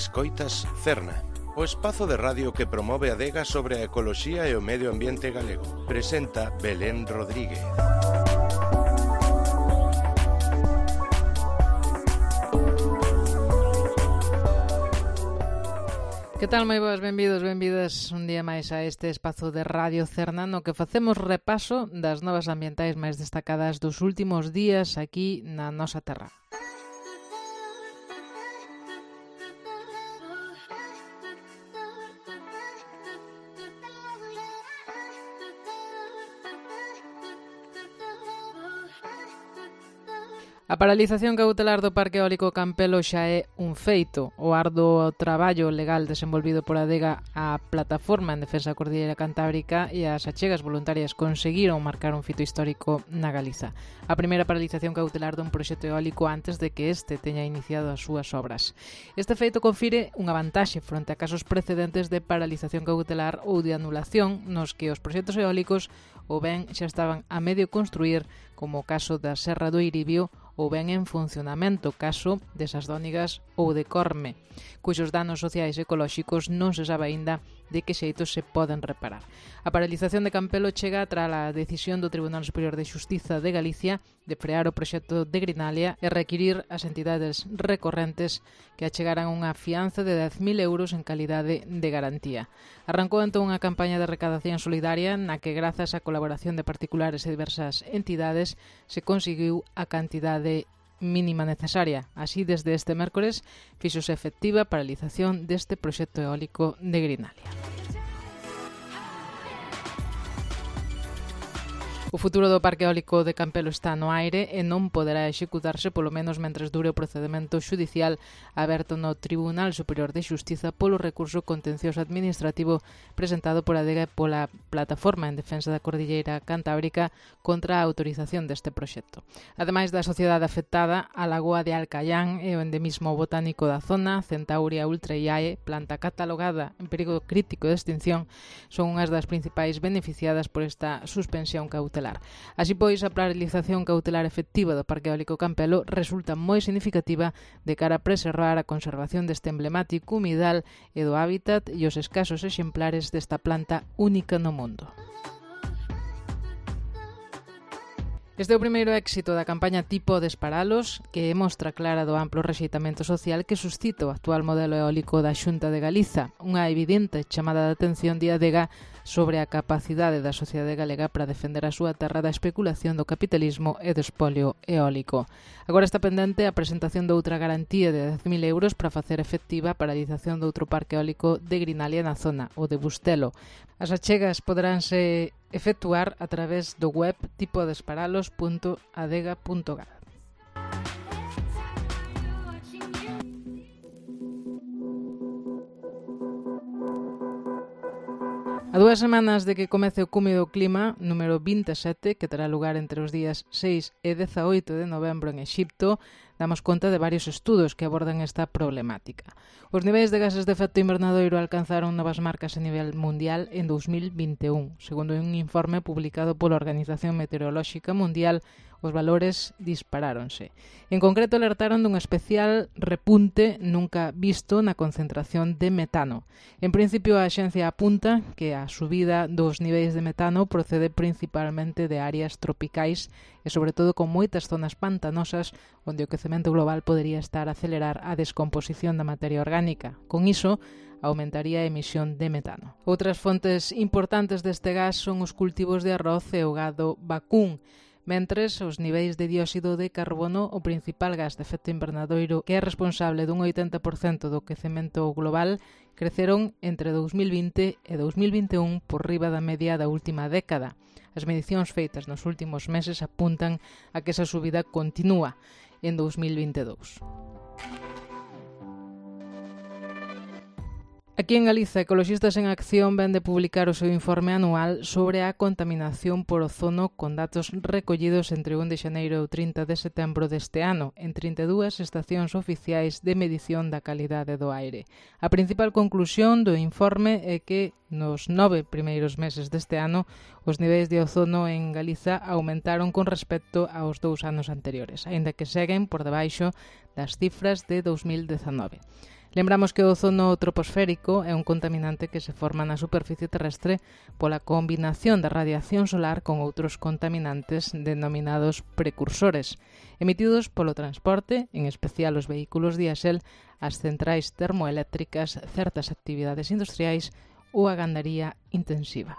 Escoitas Cerna, o espazo de radio que promove a adega sobre a ecoloxía e o medio ambiente galego. Presenta Belén Rodríguez. Que tal, moi boas, benvidos, benvidas un día máis a este espazo de Radio Cerna no que facemos repaso das novas ambientais máis destacadas dos últimos días aquí na nosa terra. A paralización cautelar do Parque Eólico Campelo xa é un feito. O arduo traballo legal desenvolvido por Adega, a Plataforma en Defensa da Cordilleira Cantábrica e as achegas voluntarias conseguiron marcar un fito histórico na Galiza. A primeira paralización cautelar dun proxecto eólico antes de que este teña iniciado as súas obras. Este feito confire unha vantaxe fronte a casos precedentes de paralización cautelar ou de anulación nos que os proxectos eólicos ou ben xa estaban a medio construir, como o caso da Serra do Iribio, ou ben en funcionamento, caso de Sasdónigas ou de Corme, cuxos danos sociais e ecolóxicos non se sabe aínda de que xeitos se poden reparar. A paralización de Campelo chega tras a decisión do Tribunal Superior de Xustiza de Galicia de frear o proxecto de Grinalia e requirir ás entidades recorrentes que achegaran unha fianza de 10.000 euros en calidade de garantía. Arrancou entón unha campaña de recadación solidaria na que, grazas á colaboración de particulares e diversas entidades, se conseguiu a cantidade mínima necesaria. Así, desde este mércores, fíxose efectiva a paralización deste proxecto eólico de Grinalia. O futuro do Parque Eólico de Campelo está no aire e non poderá executarse polo menos mentres dure o procedemento xudicial aberto no Tribunal Superior de Xustiza polo recurso contencioso administrativo presentado por Adega e pola Plataforma en Defensa da Cordilleira Cantábrica contra a autorización deste proxecto. Ademais da sociedade afectada, a lagoa de Alcayán e o endemismo botánico da zona, Centauria ultraiae, planta catalogada en perigo crítico de extinción, son unhas das principais beneficiadas por esta suspensión cautelar. Así pois, a paralización cautelar efectiva do Parque Eólico Campelo resulta moi significativa de cara a preservar a conservación deste emblemático humidal e do hábitat e os escasos exemplares desta planta única no mundo. Este é o primeiro éxito da campaña Tipo Desparalos, que mostra clara do amplo rexeitamento social que suscita o actual modelo eólico da Xunta de Galiza, unha evidente chamada de atención de Adega sobre a capacidade da sociedade galega para defender a súa terra da especulación do capitalismo e do espolio eólico. Agora está pendente a presentación de outra garantía de 10.000 euros para facer efectiva a paralización de outro parque eólico de Grinalia na zona, o de Bustelo. As achegas poderánse efectuar a través do web tipodesparalos.adega.gal. A 2 semanas de que comece o Cume do Clima número 27, que terá lugar entre os días 6 e 18 de novembro en Exipto, damos conta de varios estudos que abordan esta problemática. Os niveis de gases de efecto invernadoiro alcanzaron novas marcas a nivel mundial en 2021. Segundo un informe publicado pola Organización Meteorolóxica Mundial, os valores disparáronse. En concreto, alertaron dun especial repunte nunca visto na concentración de metano. En principio, a axencia apunta que a subida dos niveis de metano procede principalmente de áreas tropicais e, sobre todo, con moitas zonas pantanosas onde o quecemento global podería estar a acelerar a descomposición da materia orgánica. Con iso, aumentaría a emisión de metano. Outras fontes importantes deste gas son os cultivos de arroz e o gado vacún, mentres os niveis de dióxido de carbono, o principal gas de efecto invernadoiro que é responsable dun 80% do quecemento global, creceron entre 2020 e 2021 por riba da media da última década. As medicións feitas nos últimos meses apuntan a que esa subida continúa en 2022. Aquí en Galiza, Ecoloxistas en Acción ven de publicar o seu informe anual sobre a contaminación por ozono con datos recollidos entre 1 de xaneiro e o 30 de setembro deste ano en 32 estacións oficiais de medición da calidade do aire. A principal conclusión do informe é que nos 9 primeiros meses deste ano os niveis de ozono en Galiza aumentaron con respecto aos 2 anos anteriores, aínda que seguen por debaixo das cifras de 2019. Lembramos que o ozono troposférico é un contaminante que se forma na superficie terrestre pola combinación da radiación solar con outros contaminantes denominados precursores, emitidos polo transporte, en especial os vehículos diésel, as centrais termoeléctricas, certas actividades industriais ou a gandaría intensiva.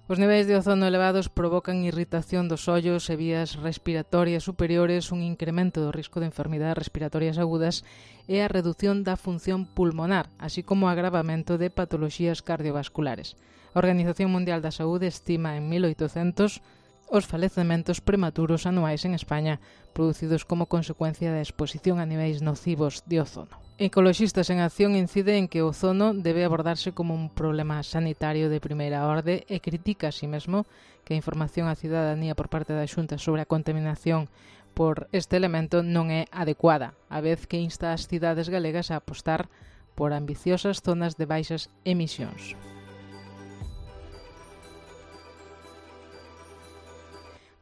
Os niveis de ozono elevados provocan irritación dos ollos e vías respiratorias superiores, un incremento do risco de enfermidades respiratorias agudas e a redución da función pulmonar, así como o agravamento de patoloxías cardiovasculares. A Organización Mundial da Saúde estima en 1800 os falecementos prematuros anuais en España producidos como consecuencia da exposición a niveis nocivos de ozono. Ecoloxistas en Acción incide en que o ozono debe abordarse como un problema sanitario de primeira orde e critica así mesmo que a información á cidadanía por parte da Xunta sobre a contaminación por este elemento non é adecuada, a vez que insta as cidades galegas a apostar por ambiciosas zonas de baixas emisións.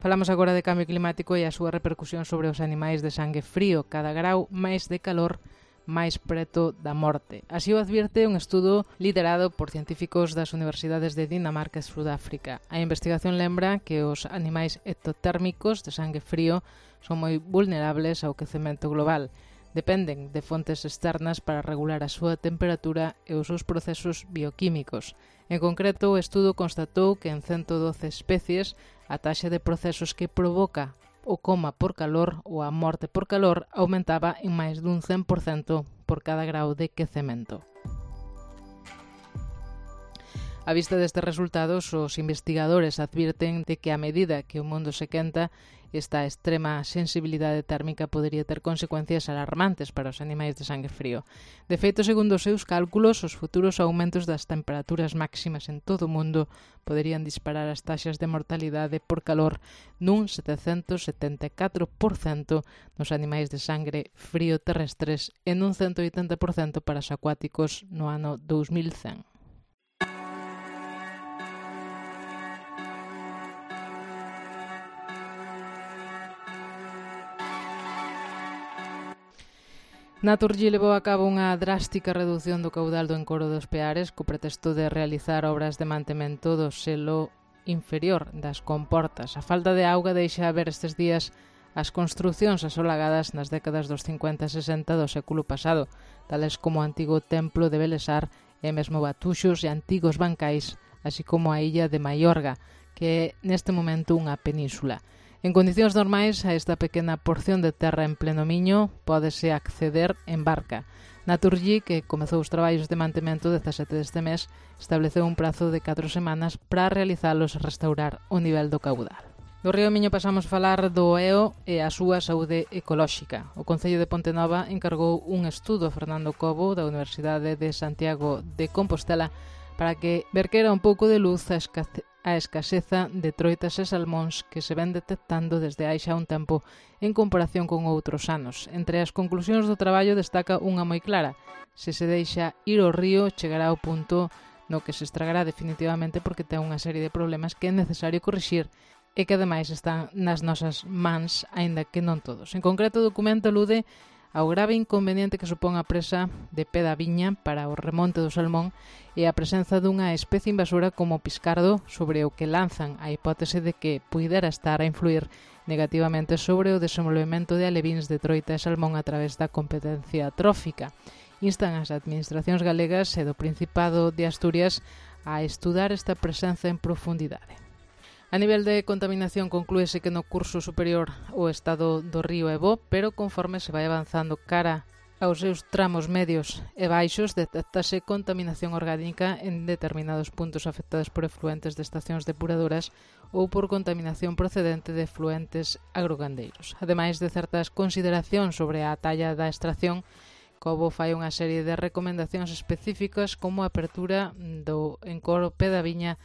Falamos agora de cambio climático e a súa repercusión sobre os animais de sangue frío. Cada grau máis de calor, máis preto da morte. Así o advierte un estudo liderado por científicos das universidades de Dinamarca e Sudáfrica. A investigación lembra que os animais ectotérmicos de sangue frío son moi vulnerables ao quecemento global. Dependen de fontes externas para regular a súa temperatura e os seus procesos bioquímicos. En concreto, o estudo constatou que en 112 especies a taxa de procesos que provoca o coma por calor ou a morte por calor aumentaba en máis dun 100% por cada grau de quecemento. A vista destes resultados, os investigadores advirten de que a medida que o mundo se quenta, esta extrema sensibilidade térmica podería ter consecuencias alarmantes para os animais de sangue frío. De feito, segundo os seus cálculos, os futuros aumentos das temperaturas máximas en todo o mundo poderían disparar as taxas de mortalidade por calor nun 774% nos animais de sangre frío terrestres e nun 180% para os acuáticos no ano 2100. Naturgy levou a cabo unha drástica reducción do caudal do encoro dos Peares co pretexto de realizar obras de mantemento do selo inferior das comportas. A falta de auga deixa ver estes días as construcións asolagadas nas décadas dos 50 e 60 do século pasado, tales como o antigo templo de Belesar e mesmo batuxos e antigos bancais, así como a illa de Maiorga, que é neste momento unha península. En condicións normais, a esta pequena porción de terra en pleno Miño pódese acceder en barca. Naturgy, que comezou os traballos de mantemento 17 deste mes, estableceu un prazo de 4 semanas para realizalos e restaurar o nivel do caudal. Do río Miño pasamos a falar do EO e a súa saúde ecolóxica. O Concello de Pontenova encargou un estudo a Fernando Cobo da Universidade de Santiago de Compostela para que verquera un pouco de luz a escaseza de troitas e salmóns que se ven detectando desde hai xa un tempo en comparación con outros anos. Entre as conclusións do traballo destaca unha moi clara: se se deixa ir ao río, chegará ao punto no que se estragará definitivamente porque ten unha serie de problemas que é necesario corrixir e que ademais están nas nosas mans, aínda que non todos. En concreto, o documento alude ao grave inconveniente que supón a presa de pé da viña para o remonte do salmón e a presenza dunha especie invasora como o piscardo, sobre o que lanzan a hipótese de que puidera estar a influir negativamente sobre o desenvolvemento de alevíns de troita e salmón a través da competencia trófica. Instan as administracións galegas e do Principado de Asturias a estudar esta presenza en profundidade. A nivel de contaminación conclúese que no curso superior o estado do río é bo, pero conforme se vai avanzando cara aos seus tramos medios e baixos detectase contaminación orgánica en determinados puntos afectados por efluentes de estacións depuradoras ou por contaminación procedente de efluentes agrogandeiros. Ademais de certas consideracións sobre a talla da extracción, Cobo fai unha serie de recomendacións específicas como a apertura do encoro pé da viña,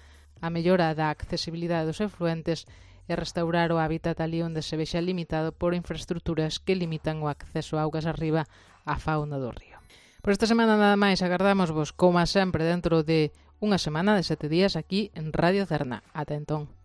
a mellora da accesibilidade dos efluentes e restaurar o hábitat ali onde se vexa limitado por infraestructuras que limitan o acceso a augas arriba á fauna do río. Por esta semana nada máis, agardámosvos, como sempre, dentro de unha semana de 7 días aquí en Radio Cerna. Ata entón.